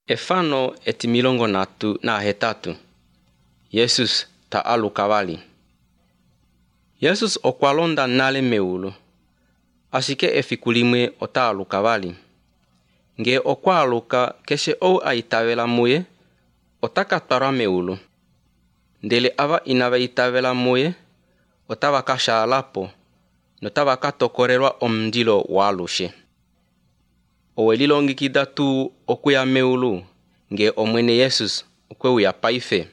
Efano etimilongo natu nahetatu Jesus ta aluka vali. Jesus okwa londa nale meulu, ashike efiku limwe ota aluka vali. Ngee okwa aluka, keshe ou a itavela muye ota ka twalwa meulu, ndele ava inava itavela muye otava ka shaala po notava ka tokolelwa omundilo waalushe. Owe lilongekida tuu okuya meulu ngee Omwene Jesus okwe uya paife?